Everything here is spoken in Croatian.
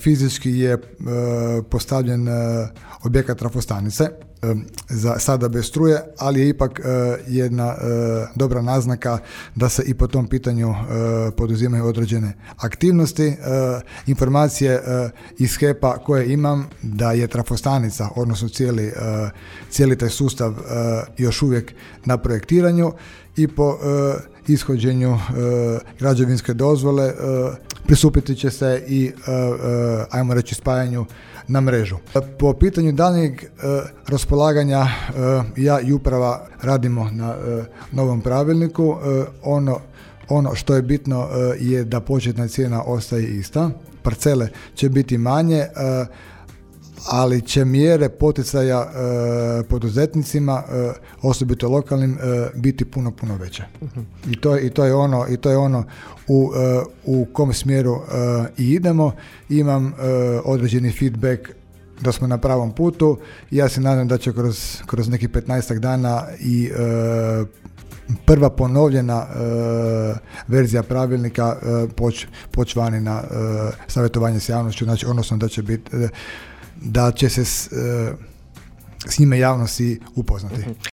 fizički je postavljen objekat trafostanice, za sada bez struje, ali je ipak jedna dobra naznaka da se i po tom pitanju poduzimaju određene aktivnosti. Informacije iz HEP-a koje imam da je trafostanica, odnosno cijeli taj sustav još uvijek na projektiranju i po ishođenju građevinske dozvole pristupiti će se i ajmo reći spajanju na mrežu. Po pitanju daljnjeg raspolaganja ja i uprava radimo na novom pravilniku. Ono što je bitno je da početna cijena ostaje ista. Parcele će biti manje, ali će mjere poticaja poduzetnicima, osobito lokalnim, biti puno veće. I to je ono u kom smjeru i idemo. Imam određeni feedback da smo na pravom putu. Ja se nadam da će kroz nekih 15 dana i prva ponovljena verzija pravilnika poći vani na savjetovanje s javnošću, znači, odnosno da će se s njime javnosti upoznati.